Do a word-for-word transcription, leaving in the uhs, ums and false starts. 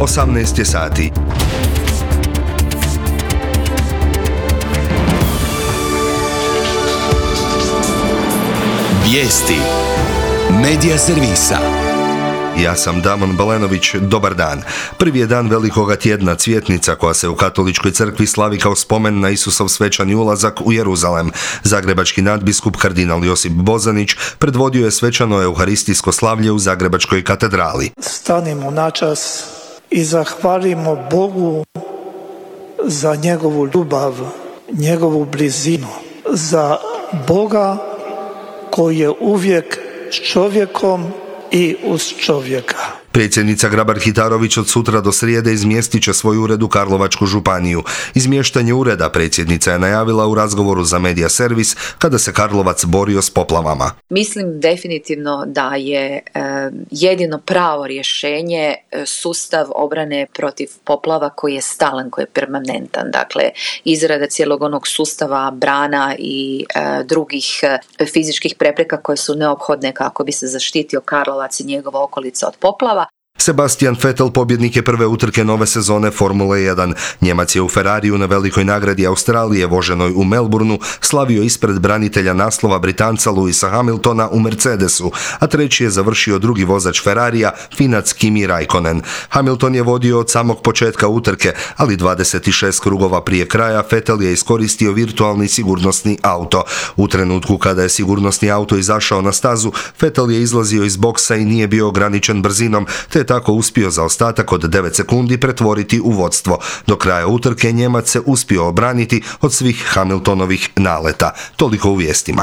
osamnaest je sati. Vijesti Medija servisa. Ja sam Damon Balenović, dobar dan. Prvi je dan velikoga tjedna Cvjetnica koja se u katoličkoj crkvi slavi kao spomen na Isusov svečani ulazak u Jeruzalem. Zagrebački nadbiskup kardinal Josip Bozanić predvodio je svečano euharistijsko slavlje u Zagrebačkoj katedrali. Stanimo načas i zahvalimo Bogu za njegovu ljubav, njegovu blizinu, za Boga koji je uvijek s čovjekom i uz čovjeka. Predsjednica Grabar-Kitarović od sutra do srijede izmjestit će svoj ured u Karlovačku županiju. Izmještanje ureda predsjednica je najavila u razgovoru za Medija servis kada se Karlovac borio s poplavama. Mislim definitivno da je e, jedino pravo rješenje e, sustav obrane protiv poplava koji je stalan, koji je permanentan. Dakle, izrada cijelog onog sustava brana i e, drugih e, fizičkih prepreka koje su neophodne kako bi se zaštitio Karlovac i njegova okolica od poplava. Sebastian Vettel pobjednik je prve utrke nove sezone Formule jedan. Njemac je u Ferrariju na velikoj nagradi Australije voženoj u Melbourneu slavio ispred branitelja naslova Britanca Lewisa Hamiltona u Mercedesu, a treći je završio drugi vozač Ferrarija, Finac Kimi Raikkonen. Hamilton je vodio od samog početka utrke, ali dvadeset šest krugova prije kraja Vettel je iskoristio virtualni sigurnosni auto. U trenutku kada je sigurnosni auto izašao na stazu, Vettel je izlazio iz boksa i nije bio ograničen brzinom, te tako uspio za ostatak od devet sekundi pretvoriti u vodstvo. Do kraja utrke Njemac se uspio obraniti od svih Hamiltonovih naleta. Toliko u vijestima.